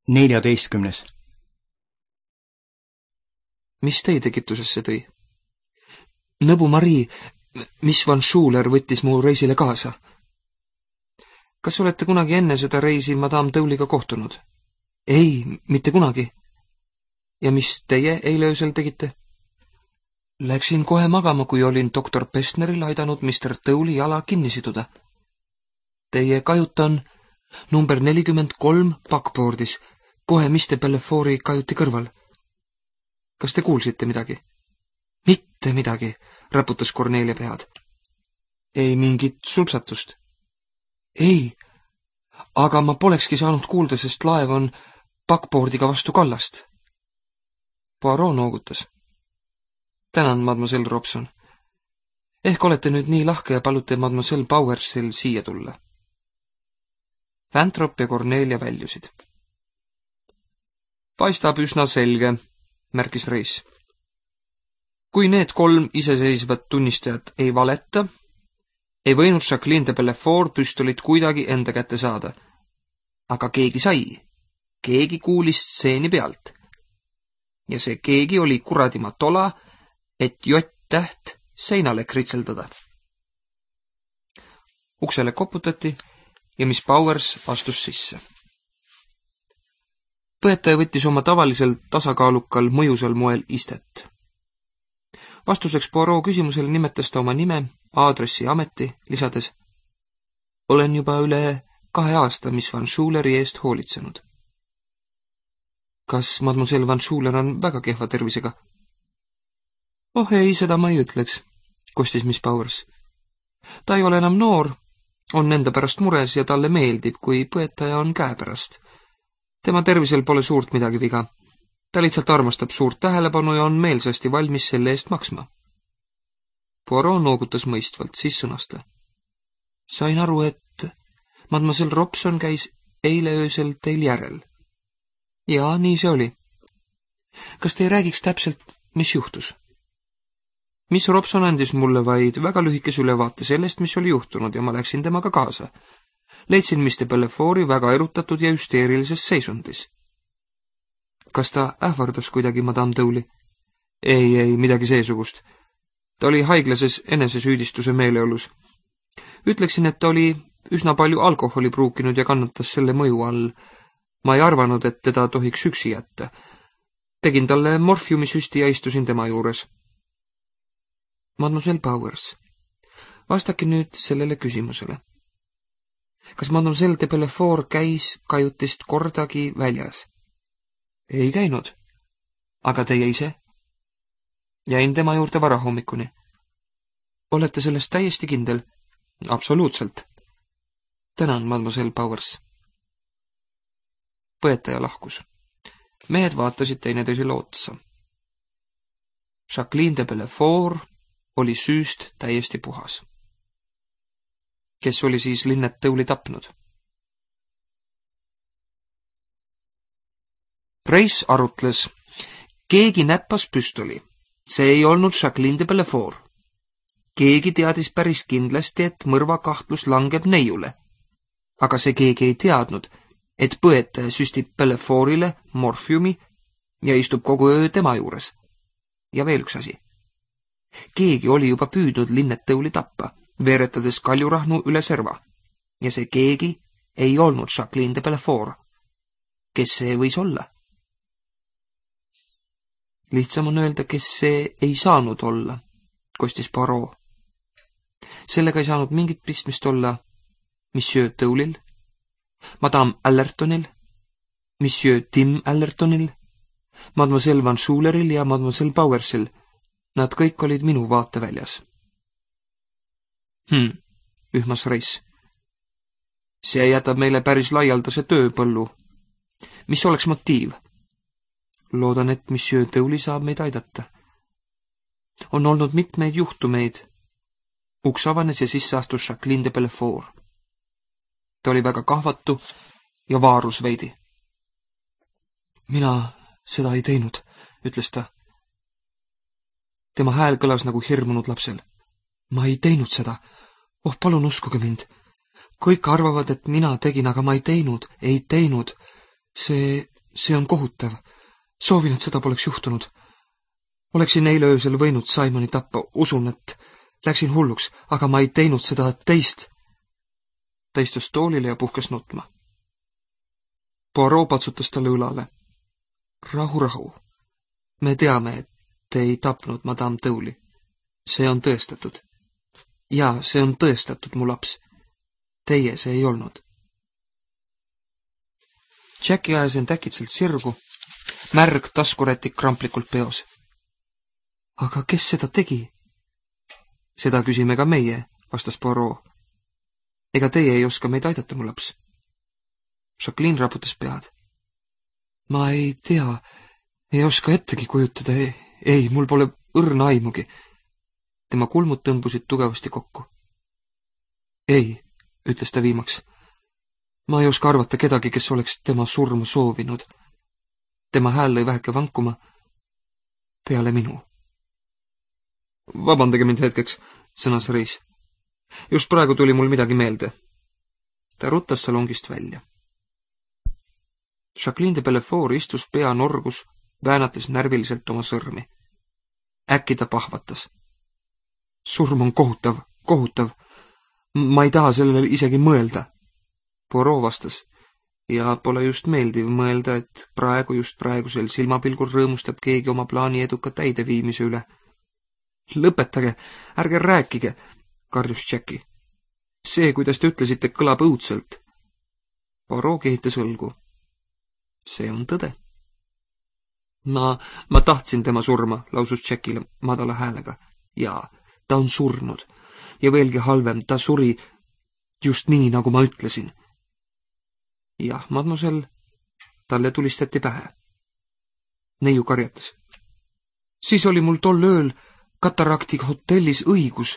14. Mis teid Egiptusesse tõi? Nõbu Marii, mis Van Schuler võttis mu reisile kaasa. Kas olete kunagi enne seda reisi Madame Dowliga kohtunud? Ei, mitte kunagi. Ja mis teie eile öösel tegite? Läksin kohe magama, kui olin doktor Pestneril aidanud Mr. Dowli jala kinni siduda. Teie kajut on number 43 backboardis, kohe Mr. Bellefoori kajuti kõrval. Kas te kuulsite midagi? Mitte midagi, raputas Kornelia pead. Ei mingit sulpsatust. Ei, aga ma polekski saanud kuulda, sest laev on backboardiga vastu kallast. Poirot noogutas. Tänan, mademoiselle Robson. Ehk olete nüüd nii lahke ja palute mademoiselle Bowersil siia tulla. Vantrop ja Kornelia väljusid. Paistab üsna selge, märkis Reis. Kui need 3 iseseisvat tunnistajat ei valeta, ei võinud Jacqueline de Bellefour püstolit kuidagi enda kätte saada. Aga keegi sai. Keegi kuulis stseeni pealt. Ja see keegi oli kuradima tola, et J-täht seinale kritseldada. Uksele koputati ja Miss Bowers astus sisse. Põetaja võttis oma tavaliselt tasakaalukal mõjusal moel istet. Vastuseks Poirot küsimusele nimetas ta oma nime, aadressi ja ameti, lisades: Olen juba üle 2 aasta Miss Van Schuleri eest hoolitsenud. Kas mademoiselle Van Schuler on väga kehva tervisega? Oh ei, seda ma ei ütleks, kostis Miss Bowers. Ta ei ole enam noor, on enda pärast mures ja talle meeldib, kui põetaja on käepärast. Tema tervisel pole suurt midagi viga. Ta lihtsalt armastab suurt tähelepanu ja on meelsasti valmis selle eest maksma. Poirot noogutas mõistvalt, siis sõnasta. Sain aru, et mademoiselle Robson käis eile öösel teil järel. Jaa, nii see oli. Kas te ei räägiks täpselt, mis juhtus? Miss Robson andis mulle vaid väga lühikese ülevaate sellest, mis oli juhtunud ja ma läksin temaga kaasa. Leidsin Mr. Bellefoori väga erutatud ja hüsteerilises seisundis. Kas ta ähvardas kuidagi Madame Dowli? Ei, midagi seesugust. Ta oli haiglases enesesüüdistuse meeleolus. Ütleksin, et ta oli üsna palju alkoholi pruukinud ja kannatas selle mõju all. Ma ei arvanud, et teda tohiks üksi jätta. Tegin talle morfiumisüsti ja istusin tema juures. Mademoiselle Bowers, vastake nüüd sellele küsimusele. Kas mademoiselle de Bellefour käis kajutist kordagi väljas? Ei käinud. Aga teie ise? Jäin tema juurde varahommikuni. Olete sellest täiesti kindel? Absoluutselt. Tänan, mademoiselle Bowers. Põetaja lahkus. Mehed vaatasid teineteisele otsa. Jacqueline de Bellefour oli süüst täiesti puhas. Kes oli siis Lynette Dowli tapnud? Reis arutles. Keegi näppas püstoli. See ei olnud Jacqueline de Bellefour. Keegi teadis päris kindlasti, et mõrvakahtlus langeb neiule. Aga see keegi ei teadnud, et põetaja süstib Bellefourile morfiumi ja istub kogu öö tema juures. Ja veel üks asi. Keegi oli juba püüdnud Lynette Dowli tappa, veeretades kaljurahnu üle serva. Ja see keegi ei olnud Jacqueline de Bellefour. Kes see võis olla? Lihtsam on öelda, kes see ei saanud olla, kostis Poirot. Sellega ei saanud mingit pistmist olla Monsieur Dowlil, Madame Allertonil, Monsieur Tim Allertonil, Mademoiselle Van Schuleril ja Mademoiselle Bowersil. Nad kõik olid minu vaateväljas. Ühmas Reis. See jätab meile päris laialdase tööpõllu. Mis oleks motiiv? Loodan, et Monsieur Dowli saab meid aidata. On olnud mitmeid juhtumeid. Uks avanes ja sisse astus Jacqueline de Bellefour. Ta oli väga kahvatu ja vaarus veidi. Mina seda ei teinud, ütles ta. Tema hääl kõlas nagu hirmunud lapsel. Ma ei teinud seda. Oh, palun uskuge mind. Kõik arvavad, et mina tegin, aga ma ei teinud. See see on kohutav. Soovin, et seda poleks juhtunud. Oleksin eile öösel võinud Simoni tappa, usun, et läksin hulluks, aga ma ei teinud seda teist. Ta istus toolile ja puhkas nutma. Poirot patsutas talle õlale. Rahu. Me teame, et te ei tapnud Madame Tõuli. See on tõestatud. Jaa, see on tõestatud, mu laps. Teie see ei olnud. Jackie ajas end äkitselt sirgu, märg taskurätik kramplikult peos. Aga kes seda tegi? Seda küsime ka meie, vastas Poirot. Ega teie ei oska meid aidata, mu laps? Jacqueline raputas pead. Ma ei tea, ei oska ettegi kujutada, ei, mul pole õrna aimugi. Tema kulmud tõmbusid tugevasti kokku. Ei, ütles ta viimaks. Ma ei oska arvata kedagi, kes oleks tema surma soovinud. Tema hääl lõi väheke vankuma. Peale minu. Vabandage mind hetkeks, sõnas Reis. Just praegu tuli mul midagi meelde. Ta ruttas salongist välja. Jacqueline de Belfort istus pea norgus, väänates närviliselt oma sõrmi. Äkki ta pahvatas. Surm on kohutav. Ma ei taha sellele isegi mõelda. Poirot vastas. Ja pole just meeldiv mõelda, et just praegusel silmapilgul rõõmustab keegi oma plaani eduka täideviimise üle. Lõpetage, ärge rääkige, karjus Jackie. See, kuidas te ütlesite, kõlab õudselt. Poirot kehitas õlgu. See on tõde. Ma tahtsin tema surma, lausus Jackile madala häälega. Jaa, ta on surnud. Ja veelgi halvem, ta suri just nii, nagu ma ütlesin. Jah, mademoiselle, talle tulistati pähe. Neiu karjatas. Siis oli mul tol ööl Katarakti hotellis õigus.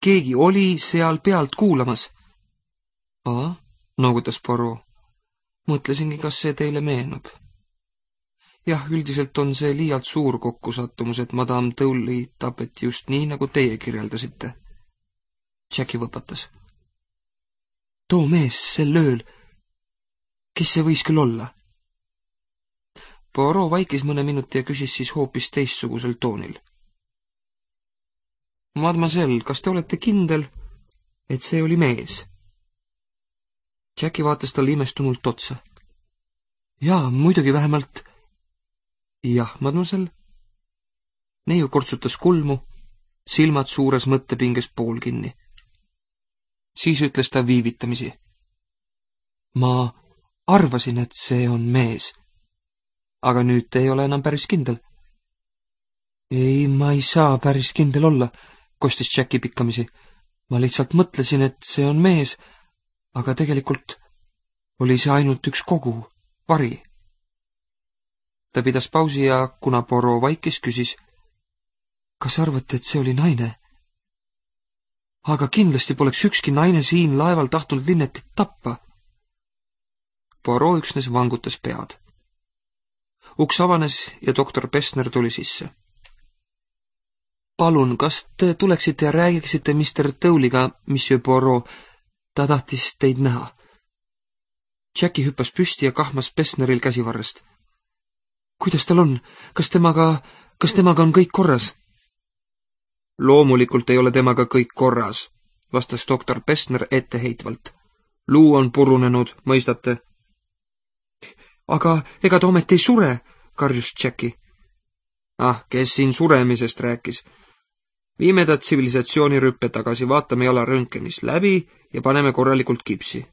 Keegi oli seal pealt kuulamas. Noogutas Poirot. Mõtlesingi, kas see teile meenub. Jah, üldiselt on see liialt suur kokkusattumus, et Madame Tõuli tapeti just nii, nagu teie kirjeldasite. Jackie võpatas. Too mees sel ööl. Kes see võis küll olla? Poirot vaikis mõne minuti ja küsis siis hoopis teistsugusel toonil. Mademoiselle, kas te olete kindel, et see oli mees? Jackie vaatas talle imestunult otsa. Jaa, muidugi vähemalt. Jah, mademoiselle. Neiu kortsutas kulmu, silmad suures mõttepinges pool kinni. Siis ütles ta viivitamisi. Ma arvasin, et see on mees. Aga nüüd te ei ole enam päris kindel. Ei, ma ei saa päris kindel olla, kostis Jackie pikkamisi. Ma lihtsalt mõtlesin, et see on mees, aga tegelikult oli see ainult üks kogu, vari. Ta pidas pausi ja kuna Poirot vaikis, küsis, kas arvate, et see oli naine? Aga kindlasti poleks ükski naine siin laeval tahtnud Linnetit tappa. Poirot üksnes vangutas pead. Uks avanes ja doktor Pessner tuli sisse. Palun, kas te tuleksite ja räägiksite Mr. Tõuliga, Monsieur Poirot? Ta tahtis teid näha. Jackie hüppas püsti ja kahmas Pessneril käsivarrest. Kuidas tal on? Kas temaga on kõik korras? Loomulikult ei ole temaga kõik korras, vastas doktor Pessner etteheitvalt. Luu on purunenud, mõistate? Aga ega ta ometi ei sure, karjus Jackie. Kes siin suremisest rääkis? Viime ta tsivilisatsioonirüppe tagasi, vaatame jala röntgenis läbi ja paneme korralikult kipsi.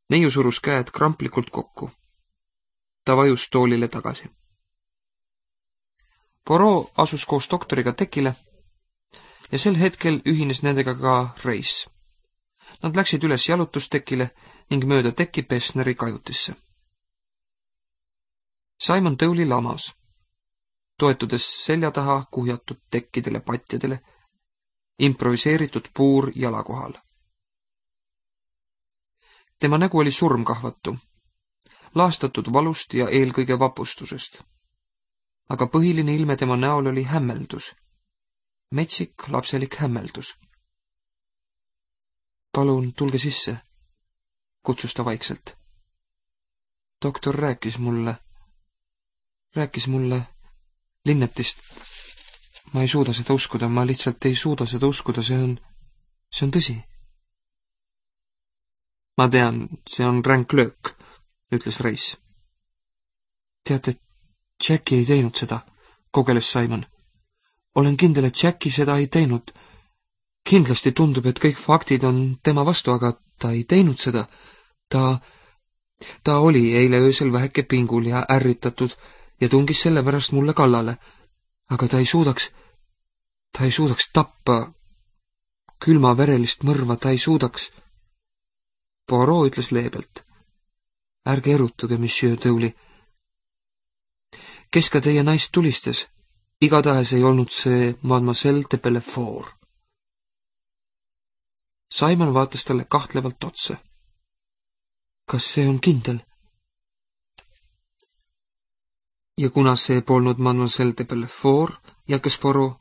Neiu surus käed kramplikult kokku. Ta vajus toolile tagasi. Poirot asus koos doktoriga tekile ja sel hetkel ühines nendega ka Reis. Nad läksid üles jalutustekile ning mööda teki Pessneri kajutisse. Simon Tõuli lamas, toetudes selja taha kuhjatud tekkidele patjadele, improviseeritud puur jala kohal. Tema nägu oli surmkahvatu, laastatud valust ja eelkõige vapustusest. Aga põhiline ilme tema näol oli hämmeldus. Metsik, lapselik hämmeldus. Palun, tulge sisse, kutsus ta vaikselt. doktor rääkis mulle Linnetist. Ma ei suuda seda uskuda, ma lihtsalt ei suuda seda uskuda, see on tõsi. Ma tean, see on ränk löök, ütles Reis. Teate, Jackie ei teinud seda, kogeles Simon. Olen kindel, et Jackie seda ei teinud. Kindlasti tundub, et kõik faktid on tema vastu, aga ta ei teinud seda. Ta oli eile öösel väheke pingul ja ärritatud ja tungis sellepärast mulle kallale. Aga ta ei suudaks tappa külmaverelist mõrva, ta ei suudaks. Poirot ütles leebelt. Ärge erutuge, monsieur Dowley. Kes ka teie naist tulistas? Igatahes ei olnud see mademoiselle de Bellefort. Simon vaatas talle kahtlevalt otsa. Kas see on kindel? Ja kuna see polnud mademoiselle de Bellefort, jätkas Poirot,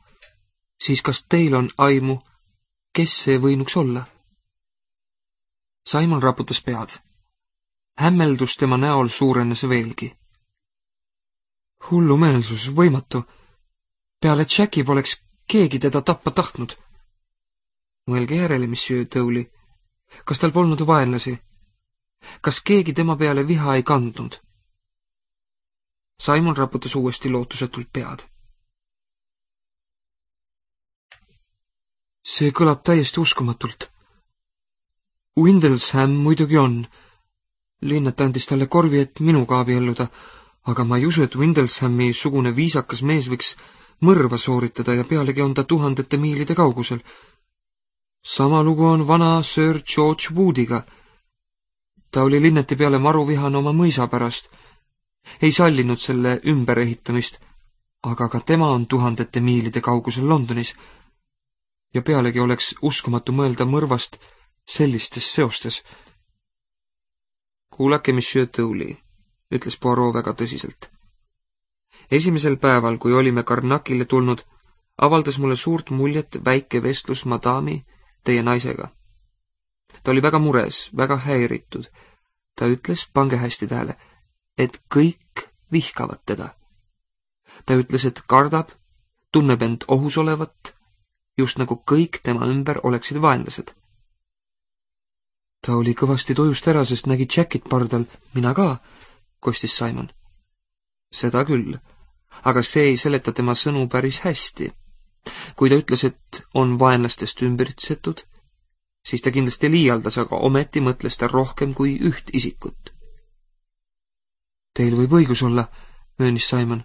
siis kas teil on aimu, kes see võinuks olla? Simon raputas pead. Hämmeldus tema näol suurenes veelgi. Hullumeelsus, võimatu. Peale Jackie poleks keegi teda tappa tahtnud. Mõelge järele, monsieur Dowley. Kas tal polnud vaenlasi? Kas keegi tema peale viha ei kandnud? Simon raputas uuesti lootusetult pead. See kõlab täiesti uskumatult. Windlesham muidugi on. Linnet andis talle korvi, et minuga abielluda, aga ma ei usu, et Windleshami sugune viisakas mees võiks mõrva sooritada ja pealegi on ta tuhandete miilide kaugusel. Sama lugu on vana Sir George Woodiga. Ta oli Linneti peale maruvihane oma mõisa pärast. Ei sallinud selle ümberehitamist, aga ka tema on tuhandete miilide kaugusel Londonis. Ja pealegi oleks uskumatu mõelda mõrvast sellistes seostes. Kuulake, monsieur Dowley, ütles Poirot väga tõsiselt. Esimesel päeval, kui olime Karnakile tulnud, avaldas mulle suurt muljet väike vestlus madami, teie naisega. Ta oli väga mures, väga häiritud. Ta ütles, pange hästi tähele, et kõik vihkavad teda. Ta ütles, et kardab, tunneb end ohus olevat, just nagu kõik tema ümber oleksid vaenlased. Ta oli kõvasti tujust ära, sest nägi Jackit pardal, mina ka, kostis Simon. Seda küll, aga see ei seleta tema sõnu päris hästi. Kui ta ütles, et on vaenlastest ümbritsetud, siis ta kindlasti liialdas, aga ometi mõtles ta rohkem kui üht isikut. Teil võib õigus olla, möönis Simon.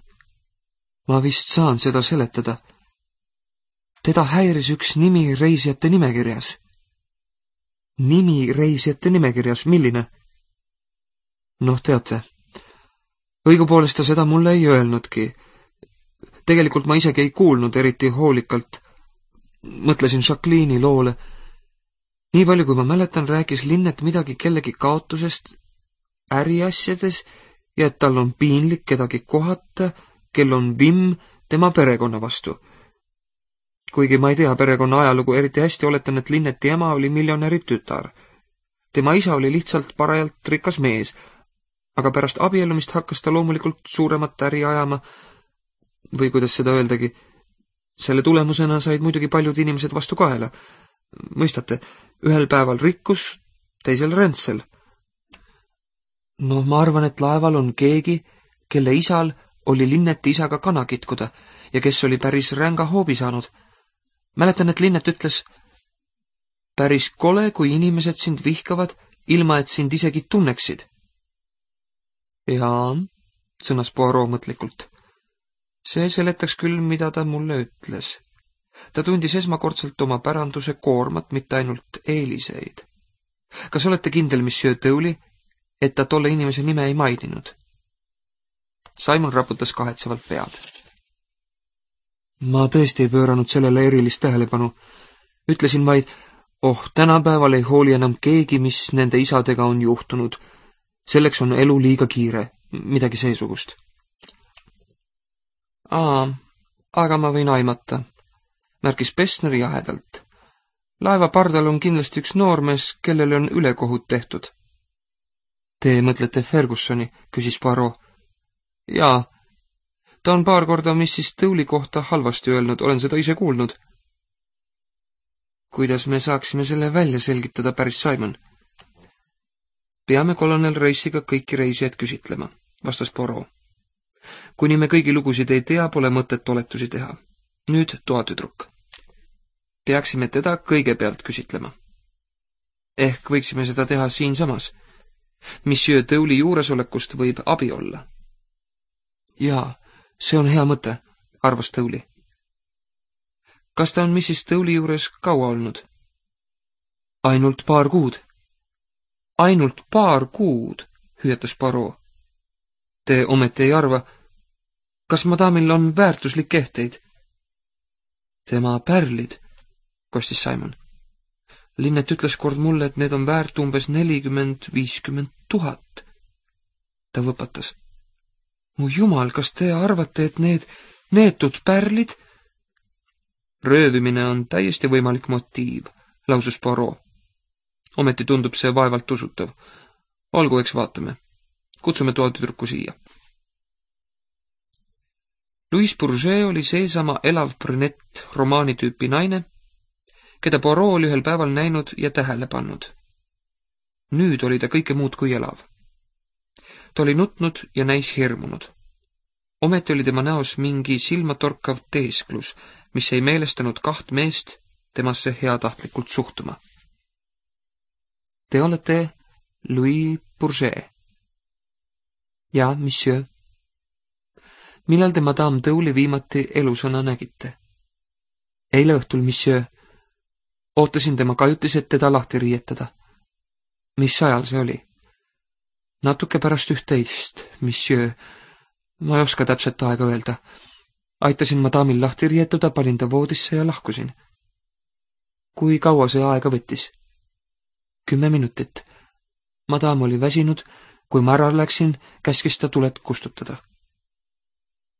Ma vist saan seda seletada. Teda häiris üks nimi reisijate nimekirjas. Nimi reisijate nimekirjas, milline? Noh, teate, õigupoolest ta seda mulle ei öelnudki. Tegelikult ma isegi ei kuulnud eriti hoolikalt. Mõtlesin Jacqueline'i loole. Nii palju, kui ma mäletan, rääkis Linnet midagi kellegi kaotusest äriasjades ja et tal on piinlik kedagi kohata, kel on vimm tema perekonna vastu. Kuigi ma ei tea perekonna ajalugu eriti hästi, oletan, et Linneti ema oli miljonäri tütar. Tema isa oli lihtsalt parajalt rikas mees, aga pärast abiellumist hakkas ta loomulikult suuremat äri ajama, või kuidas seda öeldagi, selle tulemusena said muidugi paljud inimesed vastu kaela. Mõistate, ühel päeval rikkus, teisel räntsel. No ma arvan, et laeval on keegi, kelle isal oli Linneti isaga kana kitkuda ja kes oli päris ränga hoobi saanud. Mäletan, et Linnet ütles, päris kole, kui inimesed sind vihkavad, ilma et sind isegi tunneksid. Jaa, sõnas Poirot mõtlikult. See seletaks küll, mida ta mulle ütles. Ta tundis esmakordselt oma päranduse koormat, mitte ainult eeliseid. Kas olete kindel, monsieur Dowley, et ta tolle inimese nime ei maininud? Simon raputas kahetsevalt pead. Ma tõesti ei pööranud sellele erilist tähelepanu. Ütlesin vaid, tänapäeval ei hooli enam keegi, mis nende isadega on juhtunud. Selleks on elu liiga kiire, midagi seesugust. Aga ma võin aimata, märkis Pessner jahedalt. Laeva pardal on kindlasti üks noormees, kellele on ülekohut tehtud. Te mõtlete Fergusoni, küsis Poirot. Jaa, ta on paar korda Mrs. Dowley kohta halvasti öelnud, olen seda ise kuulnud. Kuidas me saaksime selle välja selgitada, päris Simon? Peame kolonel Reisiga kõiki reisijaid küsitlema, vastas Poirot. Kuni me kõigi lugusid ei tea, pole mõtet oletusi teha. Nüüd toatüdruk. Peaksime teda kõigepealt küsitlema. Ehk võiksime seda teha siinsamas. Monsieur Dowley juuresolekust võib abi olla. Jaa, see on hea mõte, arvas Dowley. Kas ta on Mrs. Dowley juures kaua olnud? Ainult paar kuud. Ainult paar kuud, hüüatas Poirot. Te ometi ei arva, kas madamil on väärtuslik ehteid? Tema pärlid, kostis Simon. Linnet ütles kord mulle, et need on väärt umbes 40–50 000. Ta võpatas. Mu jumal, kas te arvate, et need neetud pärlid? Röövimine on täiesti võimalik motiiv, lausus Poirot. Ometi tundub see vaevalt usutav. Olgu, eks vaatame. Kutsume toatüdruku siia. Louise Bourget oli seesama elav brünett romaanitüüpi naine, keda Poirot oli ühel päeval näinud ja tähele pannud. Nüüd oli ta kõike muud kui elav. Ta oli nutnud ja näis hirmunud. Ometi oli tema näos mingi silmatorkav teesklus, mis ei meelestanud kaht meest temasse heatahtlikult suhtuma. Te olete Louise Bourget. Ja, monsieur. Millal te madame Dowley viimati elusõna nägite? Eile õhtul, monsieur. Ootasin tema kajutis, et teda lahti riietada. Mis ajal see oli? Natuke pärast 11, monsieur. Ma ei oska täpselt aega öelda. Aitasin madamil lahti rietuda, panin ta voodisse ja lahkusin. Kui kaua see aega võttis? 10 minutit. Madam oli väsinud, kui ma ära läksin, käskis ta tuled kustutada.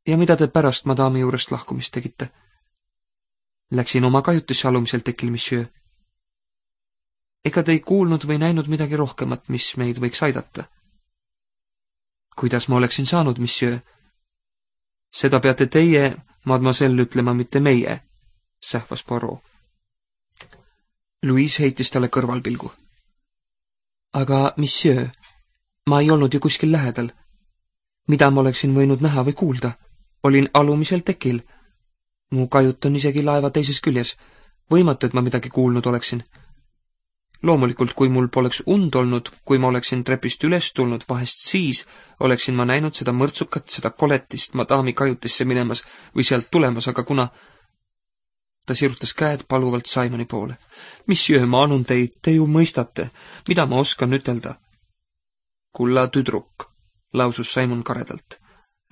Ja mida te pärast madami juurest lahkumist tegite? Läksin oma kajutisse alumisel tekil, monsieur. Ega te ei kuulnud või näinud midagi rohkemat, mis meid võiks aidata? Kuidas ma oleksin saanud, monsieur? Seda peate teie, mademoiselle, ütlema, mitte meie, sähvas Poirot. Louise heitis talle kõrvalpilgu. Aga, monsieur, ma ei olnud ju kuskil lähedal. Mida ma oleksin võinud näha või kuulda? Olin alumisel tekil. Mu kajut on isegi laeva teises küljes. Võimatu, et ma midagi kuulnud oleksin. Loomulikult, kui mul poleks und olnud, kui ma oleksin trepist üles tulnud, vahest siis oleksin ma näinud seda mõrtsukat, seda koletist madami kajutisse minemas või sealt tulemas, aga kuna... Ta sirutas käed paluvalt Simoni poole. Monsieur, ma anun teid, te ju mõistate, mida ma oskan ütelda. Kulla tüdruk, lausus Simon karedalt.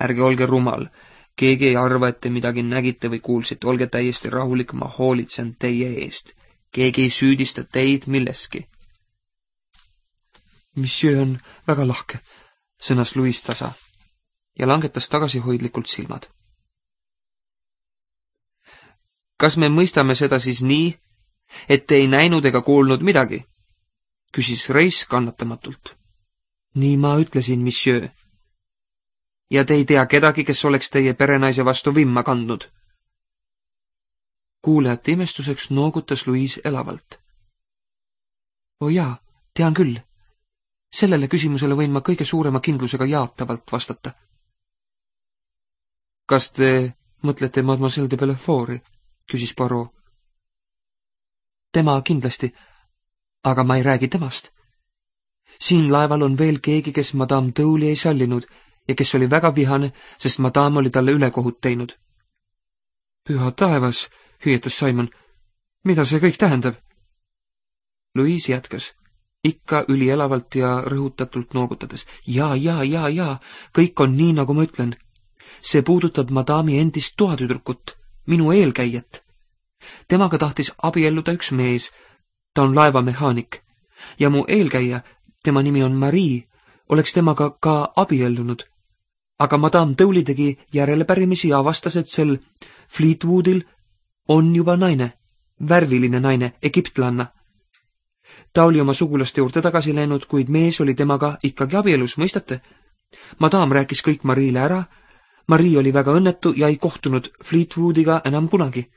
Ärge olge rumal, keegi ei arva, et te midagi nägite või kuulsite, olge täiesti rahulik, ma hoolitsen teie eest. Keegi ei süüdista teid milleski. Monsieur on väga lahke, sõnas Louise tasa ja langetas tagasihoidlikult silmad. Kas me mõistame seda siis nii, et te ei näinud ega kuulnud midagi? Küsis Reis kannatamatult. Nii ma ütlesin, monsieur. Ja te ei tea kedagi, kes oleks teie perenaise vastu vimma kandnud? Kuulajate imestuseks noogutas Louise elavalt. O jaa, tean küll. Sellele küsimusele võin ma kõige suurema kindlusega jaatavalt vastata. Kas te mõtlete mademoiselle de Bellefort'i? Küsis Poirot. Tema kindlasti, aga ma ei räägi temast. Siin laeval on veel keegi, kes madame Dowley ei sallinud ja kes oli väga vihane, sest madame oli talle ülekohut teinud. Püha taevas, hüüetas Simon. Mida see kõik tähendab? Louise jätkas, ikka ülielavalt ja rõhutatult noogutades. Jaa, kõik on nii, nagu ma ütlen. See puudutab madami endist toatüdrukut, minu eelkäijat. Temaga tahtis abielluda üks mees, ta on laevamehaanik, ja mu eelkäija, tema nimi on Marie, oleks temaga ka abiellunud. Aga madame Dowley tegi järelepärimisi ja avastas, et sel Fleetwoodil on juba naine, värviline naine, egiptlanna. Ta oli oma sugulaste juurde tagasi läinud, kuid mees oli temaga ikkagi abielus, mõistate? Madame rääkis kõik Mariile ära. Marie oli väga õnnetu ja ei kohtunud Fleetwoodiga enam kunagi.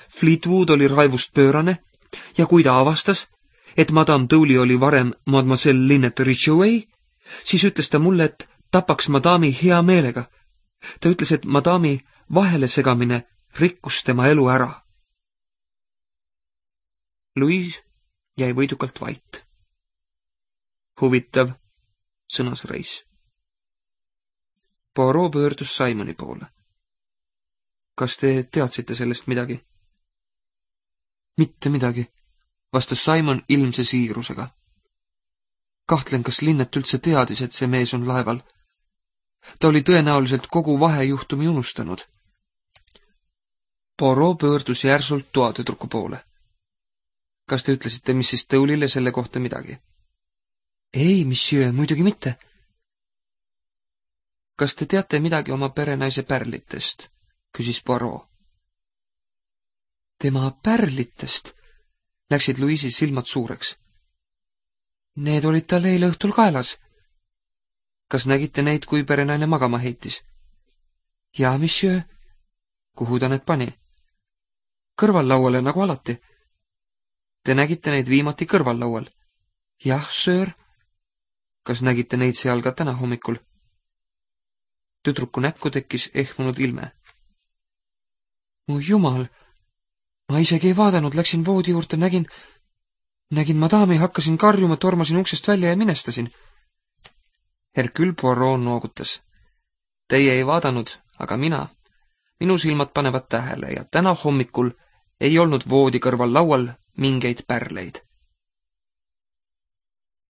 Fleetwood oli raevust pöörane ja kui ta avastas, et Madame Dowley oli varem Mademoiselle Lynette Ridgeway, siis ütles ta mulle, et tapaks Madame'i hea meelega. Ta ütles, et Madame'i vahele segamine rikkus tema elu ära. Louise jäi võidukalt vait. Huvitav, sõnas Reis. Poirot pöördus Simoni poole. Kas te teadsite sellest midagi? Mitte midagi, vastas Simon ilmse siirusega. Kahtlen, kas Linnet üldse teadis, et see mees on laeval. Ta oli tõenäoliselt kogu vahejuhtumi unustanud. Poirot pöördus järsult toatüdruku poole. Kas te ütlesite Mrs. Dowley'le selle kohta midagi? Ei, monsieur, muidugi mitte. Kas te teate midagi oma perenaise pärlitest? Küsis Poirot. Tema pärlitest? Läksid Louise'i silmad suureks. Need olid tal eile õhtul kaelas. Kas nägite neid, kui perenaine magama heitis? Jaa, monsieur. Kuhu ta need pani? Kõrvallauale, nagu alati. Te nägite neid viimati kõrvallaual? Jah, söör. Kas nägite neid seal ka täna hommikul? Tüdruku näkku tekkis ehmunud ilme. Mu jumal, ma isegi ei vaadanud, läksin voodi juurde, nägin Madame'i, hakkasin karjuma, tormasin uksest välja ja minestasin. Hercule Poirot noogutas. Teie ei vaadanud, aga minu silmad panevad tähele ja täna hommikul ei olnud voodi kõrval laual mingeid pärleid.